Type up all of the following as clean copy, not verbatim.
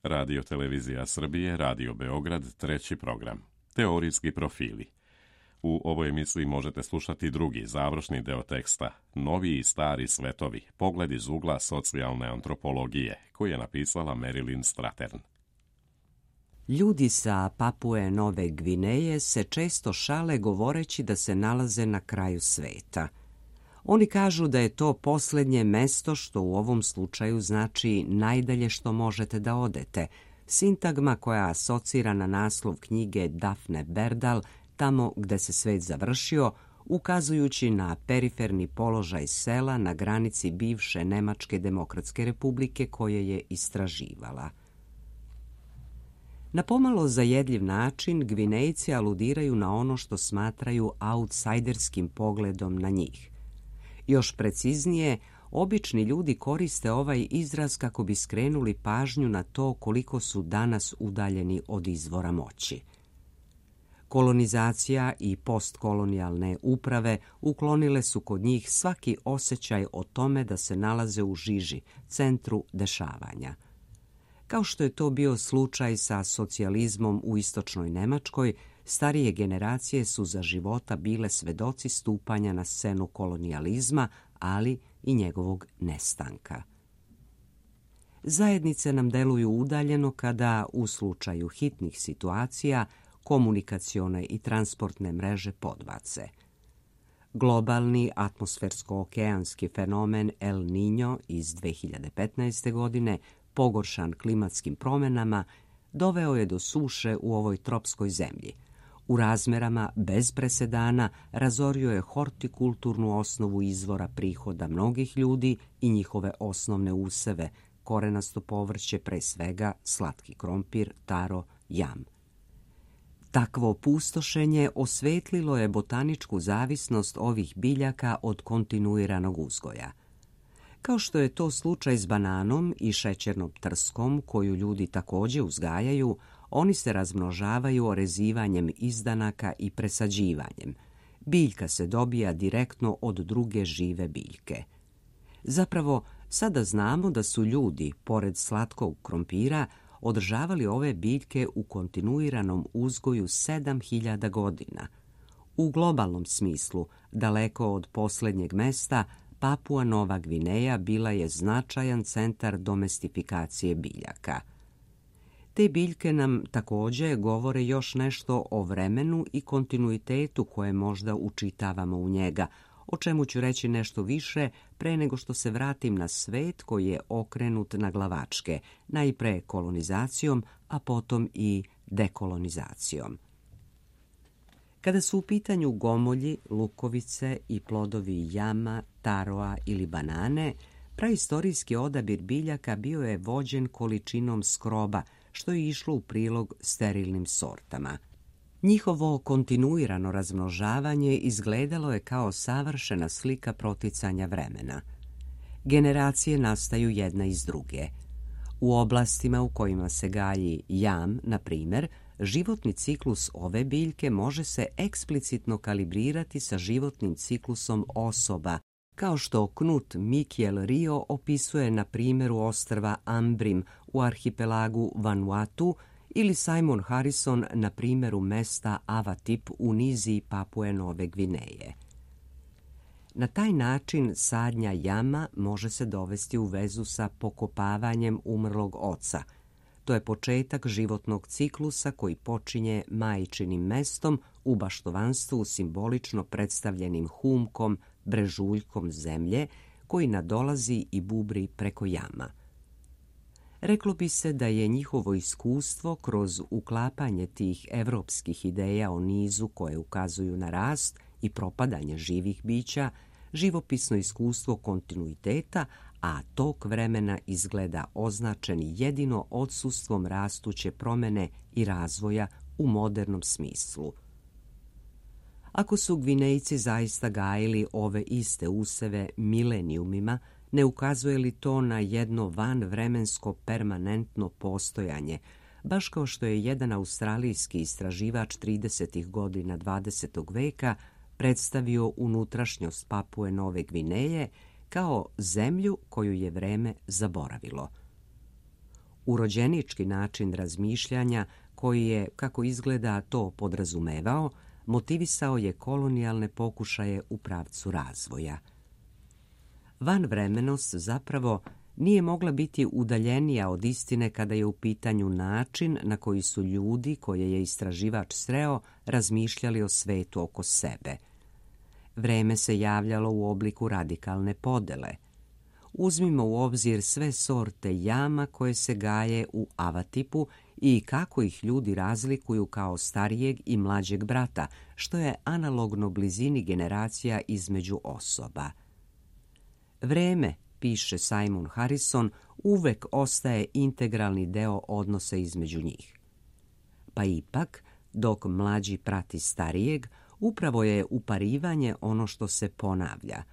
Radio Televizija Srbije, Radio Beograd, treći program. Teorijski profili. U ovoj emisiji možete slušati drugi, završni deo teksta, Novi i stari svetovi, pogled iz ugla socijalne antropologije, koji je napisala Marilyn Strathern. Ljudi sa Papue Nove Gvineje se često šale govoreći da se nalaze na kraju sveta. Oni kažu da je to posljednje mesto, što u ovom slučaju znači najdalje što možete da odete, sintagma koja asocira na naslov knjige Daphne Berdal, Tamo gde se svet završio, ukazujući na periferni položaj sela na granici bivše Nemačke demokratske republike koje je istraživala. Na pomalo zajedljiv način Gvinejci aludiraju na ono što smatraju outsajderskim pogledom na njih. Još preciznije, obični ljudi koriste ovaj izraz kako bi skrenuli pažnju na to koliko su danas udaljeni od izvora moći. Kolonizacija i postkolonijalne uprave uklonile su kod njih svaki osjećaj o tome da se nalaze u žiži, centru dešavanja. Kao što je to bio slučaj sa socijalizmom u istočnoj Nemačkoj, starije generacije su za života bile svedoci stupanja na scenu kolonijalizma, ali i njegovog nestanka. Zajednice nam deluju udaljeno kada, u slučaju hitnih situacija, komunikacione i transportne mreže podbace. Globalni atmosfersko-okeanski fenomen El Niño iz 2015. godine, pogoršan klimatskim promjenama, doveo je do suše u ovoj tropskoj zemlji. U razmerama bez presedana razorio je hortikulturnu osnovu izvora prihoda mnogih ljudi i njihove osnovne useve, korenasto povrće, pre svega slatki krompir, taro, jam. Takvo opustošenje osvetlilo je botaničku zavisnost ovih biljaka od kontinuiranog uzgoja. Kao što je to slučaj s bananom i šećernom trskom, koju ljudi također uzgajaju, oni se razmnožavaju orezivanjem izdanaka i presađivanjem. Biljka se dobija direktno od druge žive biljke. Zapravo, sada znamo da su ljudi, pored slatkog krompira, održavali ove biljke u kontinuiranom uzgoju 7000 godina. U globalnom smislu, daleko od posljednjeg mesta, Papua Nova Gvineja bila je značajan centar domestifikacije biljaka. Te biljke nam također govore još nešto o vremenu i kontinuitetu koje možda učitavamo u njega, o čemu ću reći nešto više pre nego što se vratim na svet koji je okrenut na glavačke, najpre kolonizacijom, a potom i dekolonizacijom. Kada su u pitanju gomolji, lukovice i plodovi jama, taroa ili banane, praistorijski odabir biljaka bio je vođen količinom skroba, što je išlo u prilog sterilnim sortama. Njihovo kontinuirano razmnožavanje izgledalo je kao savršena slika proticanja vremena. Generacije nastaju jedna iz druge. U oblastima u kojima se gaji jam, na primjer, životni ciklus ove biljke može se eksplicitno kalibrirati sa životnim ciklusom osoba, kao što Knut Mikiel Rio opisuje na primjeru ostrva Ambrim u arhipelagu Vanuatu ili Simon Harrison na primjeru mesta Avatip u niziji Papue Nove Gvineje. Na taj način sadnja jama može se dovesti u vezu sa pokopavanjem umrlog oca. To je početak životnog ciklusa koji počinje majčinim mestom u baštovanstvu simbolično predstavljenim humkom, brežuljkom zemlje koji nadolazi i bubri preko jama. Reklo bi se da je njihovo iskustvo kroz uklapanje tih evropskih ideja o nizu koje ukazuju na rast i propadanje živih bića, živopisno iskustvo kontinuiteta, a tok vremena izgleda označen jedino odsustvom rastuće promjene i razvoja u modernom smislu. Ako su Gvinejci zaista gajili ove iste useve milenijumima, ne ukazuje li to na jedno vanvremensko permanentno postojanje, baš kao što je jedan australijski istraživač 30. godina 20. veka predstavio unutrašnjost Papue Nove Gvineje kao zemlju koju je vreme zaboravilo. Urođenički način razmišljanja koji je, kako izgleda, to podrazumevao, motivisao je kolonijalne pokušaje u pravcu razvoja. Vanvremenost zapravo nije mogla biti udaljenija od istine kada je u pitanju način na koji su ljudi koje je istraživač sreo razmišljali o svetu oko sebe. Vreme se javljalo u obliku radikalne podele. Uzmimo u obzir sve sorte jama koje se gaje u Avatipu i kako ih ljudi razlikuju kao starijeg i mlađeg brata, što je analogno blizini generacija između osoba. Vreme, piše Simon Harrison, uvek ostaje integralni deo odnosa između njih. Pa ipak, dok mlađi prati starijeg, upravo je uparivanje ono što se ponavlja.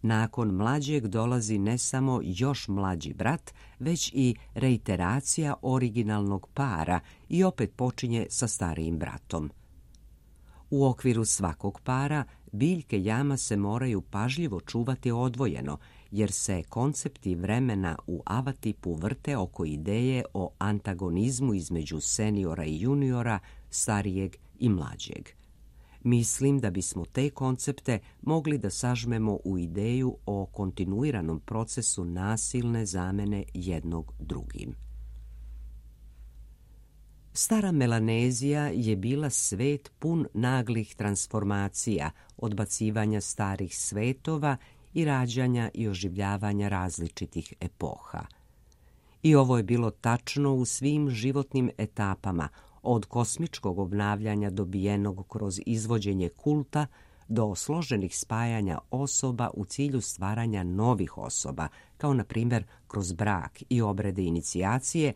Nakon mlađeg dolazi ne samo još mlađi brat, već i reiteracija originalnog para i opet počinje sa starijim bratom. U okviru svakog para biljke jama se moraju pažljivo čuvati odvojeno, jer se koncepti vremena u Avatipu vrte oko ideje o antagonizmu između seniora i juniora, starijeg i mlađeg. Mislim da bismo te koncepte mogli da sažmemo u ideju o kontinuiranom procesu nasilne zamene jednog drugim. Stara Melanezija je bila svet pun naglih transformacija, odbacivanja starih svetova i rađanja i oživljavanja različitih epoha. I ovo je bilo tačno u svim životnim etapama, od kosmičkog obnavljanja dobijenog kroz izvođenje kulta do složenih spajanja osoba u cilju stvaranja novih osoba, kao na primjer kroz brak i obrede inicijacije,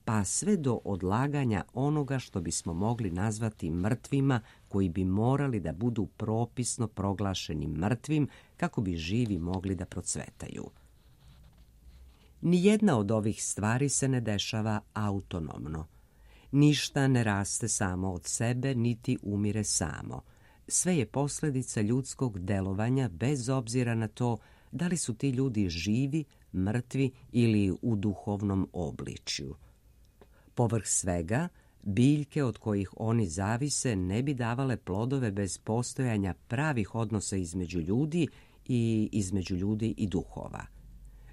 pa sve do odlaganja onoga što bismo mogli nazvati mrtvima, koji bi morali da budu propisno proglašeni mrtvim kako bi živi mogli da procvetaju. Nijedna od ovih stvari se ne dešava autonomno. Ništa ne raste samo od sebe, niti umire samo. Sve je posljedica ljudskog delovanja, bez obzira na to da li su ti ljudi živi, mrtvi ili u duhovnom obličju. Povrh svega, biljke od kojih oni zavise ne bi davale plodove bez postojanja pravih odnosa između ljudi i između ljudi i duhova.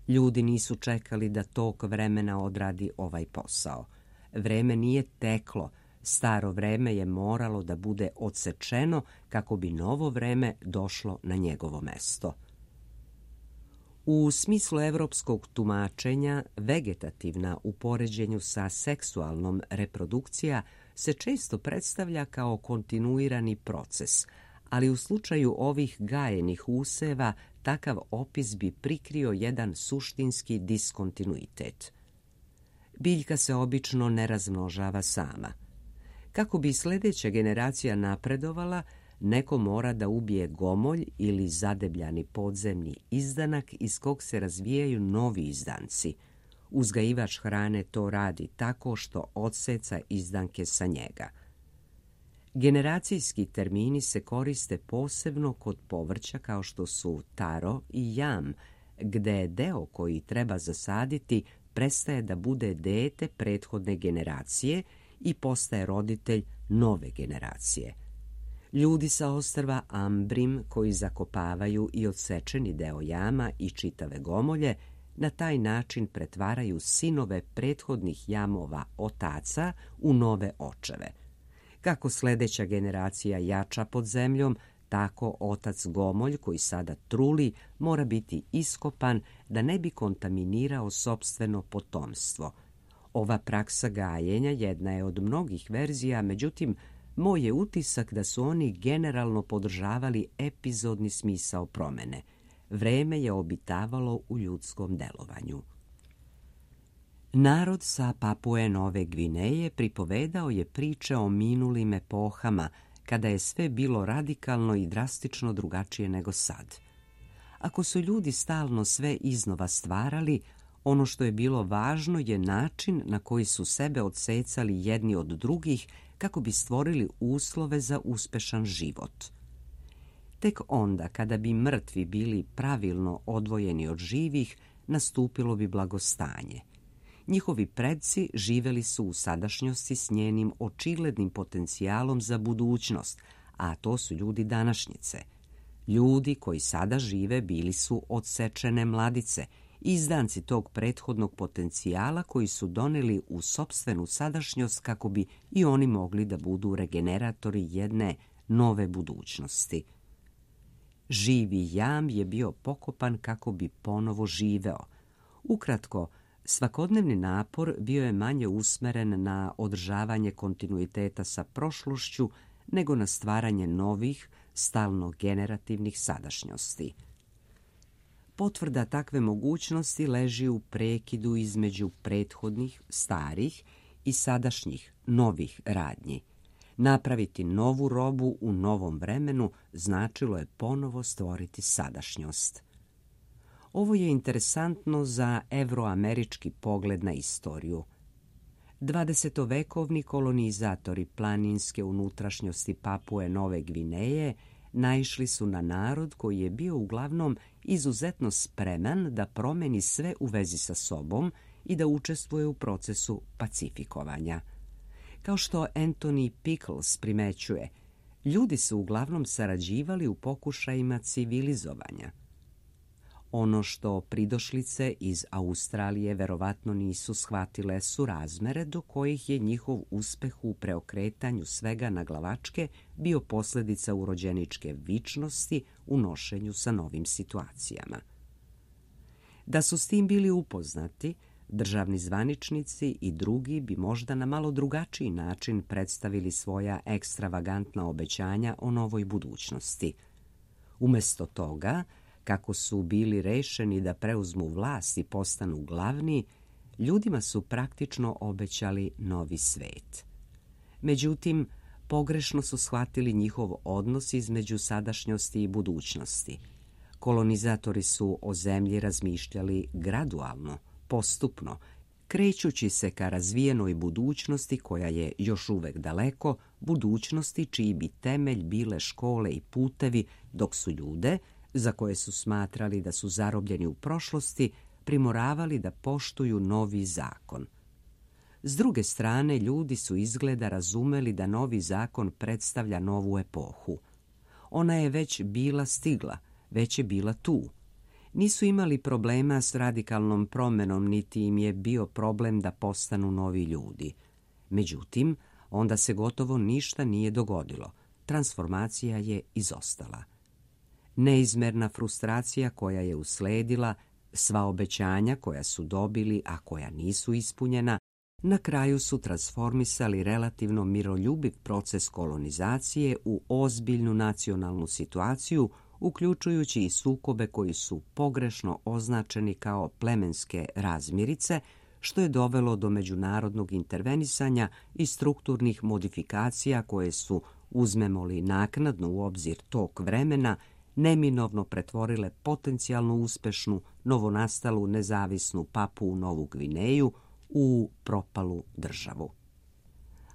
Ljudi nisu čekali da tok vremena odradi ovaj posao. Vreme nije teklo, staro vreme je moralo da bude odsečeno kako bi novo vreme došlo na njegovo mesto. U smislu evropskog tumačenja, vegetativna u poređenju sa seksualnom reprodukcija se često predstavlja kao kontinuirani proces, ali u slučaju ovih gajenih useva takav opis bi prikrio jedan suštinski diskontinuitet. Biljka se obično ne razmnožava sama. Kako bi sljedeća generacija napredovala, neko mora da ubije gomolj ili zadebljani podzemni izdanak iz kog se razvijaju novi izdanci. Uzgajivač hrane to radi tako što odseca izdanke sa njega. Generacijski termini se koriste posebno kod povrća kao što su taro i jam, gde deo koji treba zasaditi prestaje da bude dete prethodne generacije i postaje roditelj nove generacije. Ljudi sa ostrva Ambrim koji zakopavaju i odsečeni deo jama i čitave gomolje na taj način pretvaraju sinove prethodnih jamova otaca u nove očeve. Kako sljedeća generacija jača pod zemljom, tako otac gomolj koji sada truli mora biti iskopan da ne bi kontaminirao sopstveno potomstvo. Ova praksa gajenja jedna je od mnogih verzija, međutim, moj je utisak da su oni generalno podržavali epizodni smisao promene. Vreme je obitavalo u ljudskom delovanju. Narod sa Papue Nove Gvineje pripovedao je priče o minulim epohama, kada je sve bilo radikalno i drastično drugačije nego sad. Ako su ljudi stalno sve iznova stvarali, ono što je bilo važno je način na koji su sebe odsecali jedni od drugih kako bi stvorili uslove za uspešan život. Tek onda, kada bi mrtvi bili pravilno odvojeni od živih, nastupilo bi blagostanje. Njihovi predci živjeli su u sadašnjosti s njenim očiglednim potencijalom za budućnost, a to su ljudi današnjice. Ljudi koji sada žive bili su odsečene mladice, izdanci tog prethodnog potencijala koji su doneli u sopstvenu sadašnjost kako bi i oni mogli da budu regeneratori jedne nove budućnosti. Živi jam je bio pokopan kako bi ponovo živeo. Ukratko, svakodnevni napor bio je manje usmeren na održavanje kontinuiteta sa prošlošću nego na stvaranje novih, stalno generativnih sadašnjosti. Potvrda takve mogućnosti leži u prekidu između prethodnih, starih i sadašnjih, novih radnji. Napraviti novu robu u novom vremenu značilo je ponovo stvoriti sadašnjost. Ovo je interesantno za evroamerički pogled na istoriju. 20-vekovni kolonizatori planinske unutrašnjosti Papue Nove Gvineje naišli su na narod koji je bio uglavnom izuzetno spreman da promeni sve u vezi sa sobom i da učestvuje u procesu pacifikovanja. Kao što Anthony Pickles primećuje, ljudi su uglavnom sarađivali u pokušajima civilizovanja. Ono što pridošlice iz Australije verovatno nisu shvatile su razmere do kojih je njihov uspeh u preokretanju svega na glavačke bio posljedica urođeničke vičnosti u nošenju sa novim situacijama. Da su s tim bili upoznati, državni zvaničnici i drugi bi možda na malo drugačiji način predstavili svoja ekstravagantna obećanja o novoj budućnosti. Umjesto toga, kako su bili rešeni da preuzmu vlast i postanu glavni, ljudima su praktično obećali novi svet. Međutim, pogrešno su shvatili njihov odnos između sadašnjosti i budućnosti. Kolonizatori su o zemlji razmišljali gradualno, postupno, krećući se ka razvijenoj budućnosti koja je još uvek daleko, budućnosti čiji bi temelj bile škole i putevi, dok su ljude, za koje su smatrali da su zarobljeni u prošlosti, primoravali da poštuju novi zakon. S druge strane, ljudi su izgleda razumeli da novi zakon predstavlja novu epohu. Ona je već bila stigla, već je bila tu. Nisu imali problema s radikalnom promenom, niti im je bio problem da postanu novi ljudi. Međutim, onda se gotovo ništa nije dogodilo. Transformacija je izostala. Neizmerna frustracija koja je usledila, sva obećanja koja su dobili, a koja nisu ispunjena, na kraju su transformisali relativno miroljubiv proces kolonizacije u ozbiljnu nacionalnu situaciju, uključujući i sukobe koji su pogrešno označeni kao plemenske razmirice, što je dovelo do međunarodnog intervenisanja i strukturnih modifikacija koje su, uzmemo li naknadno u obzir tok vremena, neminovno pretvorile potencijalno uspešnu, novonastalu nezavisnu Papuu Novu Gvineju u propalu državu.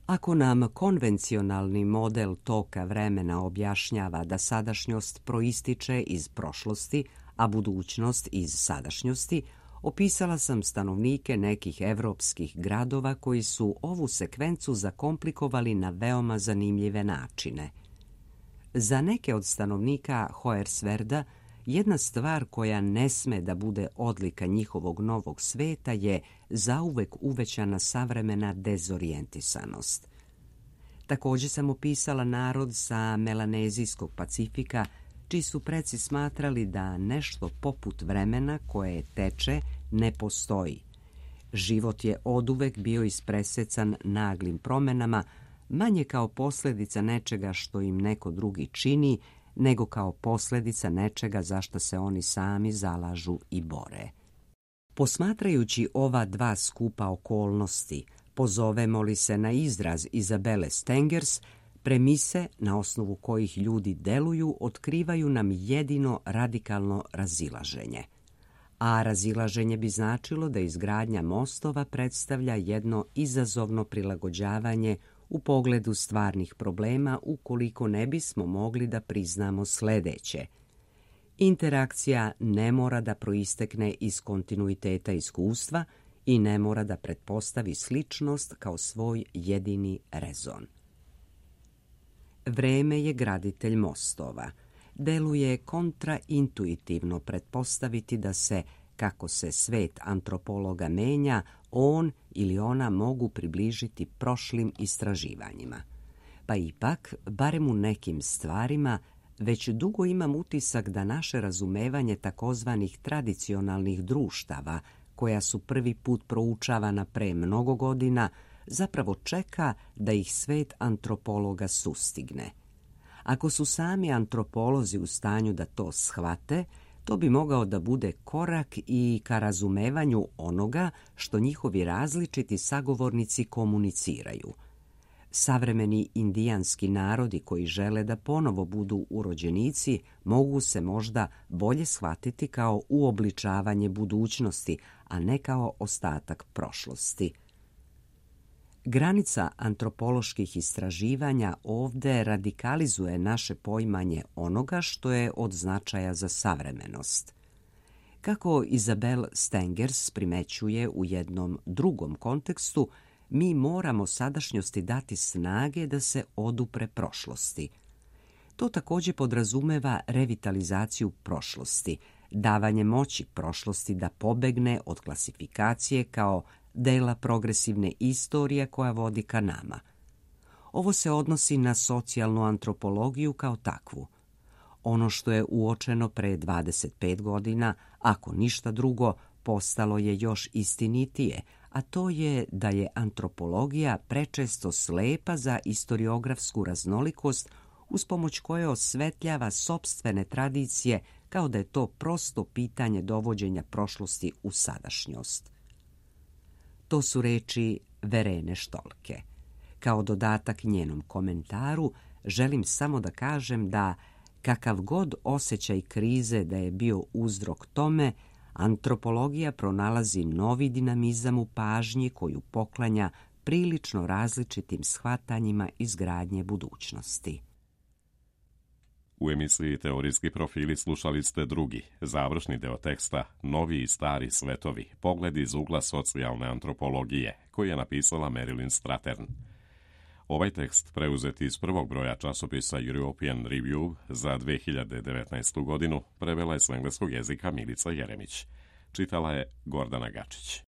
Ako nam konvencionalni model toka vremena objašnjava da sadašnjost proističe iz prošlosti, a budućnost iz sadašnjosti, opisala sam stanovnike nekih evropskih gradova koji su ovu sekvencu zakomplikovali na veoma zanimljive načine. Za neke od stanovnika Hoyerswerda jedna stvar koja ne sme da bude odlika njihovog novog sveta je zauvek uvećana savremena dezorijentisanost. Također sam opisala narod sa Melanezijskog Pacifika, čiji su preci smatrali da nešto poput vremena koje teče ne postoji. Život je oduvek bio ispresecan naglim promenama, manje kao posljedica nečega što im neko drugi čini, nego kao posljedica nečega za što se oni sami zalažu i bore. Posmatrajući ova dva skupa okolnosti, pozovemo li se na izraz Izabele Stengers, premise na osnovu kojih ljudi deluju otkrivaju nam jedino radikalno razilaženje. A razilaženje bi značilo da izgradnja mostova predstavlja jedno izazovno prilagođavanje u pogledu stvarnih problema ukoliko ne bismo mogli da priznamo sledeće. Interakcija ne mora da proistekne iz kontinuiteta iskustva i ne mora da pretpostavi sličnost kao svoj jedini rezon. Vreme je graditelj mostova. Deluje kontraintuitivno pretpostaviti da se, kako se svet antropologa menja, on ili ona mogu približiti prošlim istraživanjima. Pa ipak, barem u nekim stvarima, već dugo imam utisak da naše razumevanje takozvanih tradicionalnih društava, koja su prvi put proučavana pre mnogo godina, zapravo čeka da ih svet antropologa sustigne. Ako su sami antropolozi u stanju da to shvate, to bi mogao da bude korak i ka razumevanju onoga što njihovi različiti sagovornici komuniciraju. Savremeni indijanski narodi koji žele da ponovo budu urođenici mogu se možda bolje shvatiti kao uobličavanje budućnosti, a ne kao ostatak prošlosti. Granica antropoloških istraživanja ovde radikalizuje naše poimanje onoga što je od značaja za savremenost. Kako Isabel Stengers primećuje u jednom drugom kontekstu, mi moramo sadašnjosti dati snage da se odupre prošlosti. To također podrazumeva revitalizaciju prošlosti, davanje moći prošlosti da pobegne od klasifikacije kao dela progresivne istorije koja vodi ka nama. Ovo se odnosi na socijalnu antropologiju kao takvu. Ono što je uočeno pre 25 godina, ako ništa drugo, postalo je još istinitije, a to je da je antropologija prečesto slepa za istoriografsku raznolikost uz pomoć koje osvetljava sopstvene tradicije kao da je to prosto pitanje dovođenja prošlosti u sadašnjost. To su reči Verene Štolke. Kao dodatak njenom komentaru želim samo da kažem da, kakav god osjećaj krize da je bio uzrok tome, antropologija pronalazi novi dinamizam u pažnji koju poklanja prilično različitim shvatanjima izgradnje budućnosti. U emisiji Teorijski profili slušali ste drugi, završni deo teksta Novi i stari svetovi, pogled iz ugla socijalne antropologije, koji je napisala Marilyn Strathern. Ovaj tekst, preuzet iz prvog broja časopisa European Review za 2019. godinu, prevela je s engleskog jezika Milica Jeremić. Čitala je Gordana Gačić.